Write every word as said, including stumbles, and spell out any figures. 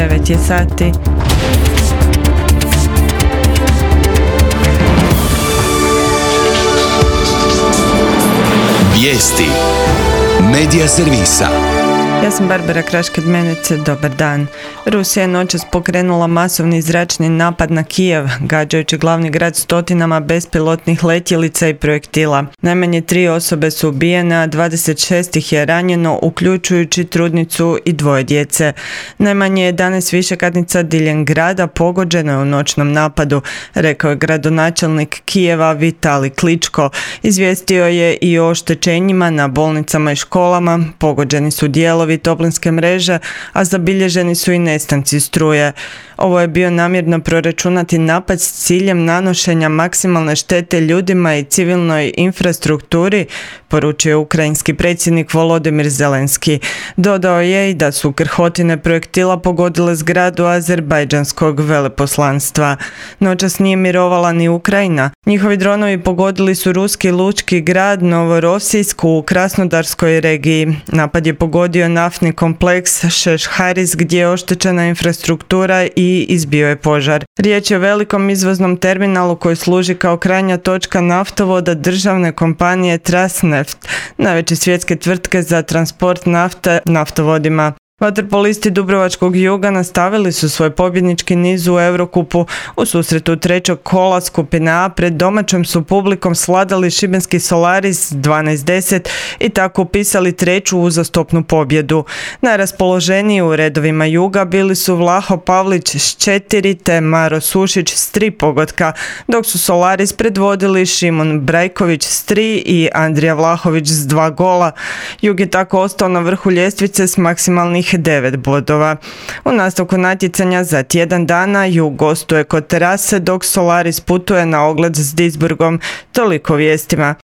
devet je sati. Vijesti Medija servisa. Ja sam Barbara Krašked-Menec, dobar dan. Rusija je noćas pokrenula masovni zračni napad na Kijev, gađajući glavni grad stotinama bespilotnih letjelica i projektila. Najmanje tri osobe su ubijene, a dvadeset šest ih je ranjeno, uključujući trudnicu i dvoje djece. Najmanje jedanaest višekatnica diljem grada pogođeno je u noćnom napadu, rekao je gradonačelnik Kijeva Vitali Kličko. Izvijestio je i o oštećenjima na bolnicama i školama, pogođeni su dijelovi toplinske mreže, a zabilježeni su i nestanci struje. Ovo je bio namjerno proračunati napad s ciljem nanošenja maksimalne štete ljudima i civilnoj infrastrukturi, poručio ukrajinski predsjednik Volodimir Zelenski. Dodao je i da su krhotine projektila pogodile zgradu azerbajdžanskog veleposlanstva. Noćas nije mirovala ni Ukrajina. Njihovi dronovi pogodili su ruski lučki grad Novorosijsk u Krasnodarskoj regiji. Napad je pogodio naftni kompleks Šešharis gdje je oštećena infrastruktura i izbio je požar. Riječ je o velikom izvoznom terminalu koji služi kao krajnja točka naftovoda državne kompanije Transneft, najveće svjetske tvrtke za transport nafte naftovodima. Vaterpolisti Dubrovačkog Juga nastavili su svoj pobjednički niz u Eurokupu. U susretu trećeg kola skupine A pred domaćom su publikom svladali šibenski Solaris dvanaest deset i tako upisali treću uzastopnu pobjedu. Najraspoloženiji u redovima Juga bili su Vlaho Pavlić s četiri te Maro Sušić s tri pogotka, dok su Solaris predvodili Šimon Brajković s tri i Andrija Vlahović s dva gola. Jug je tako ostao na vrhu ljestvice s maksimalnih devet bodova. U nastavku natjecanja za tjedan dana Jug gostuje kod Terase, dok Solaris putuje na ogled s Duisburgom. Toliko vijestima.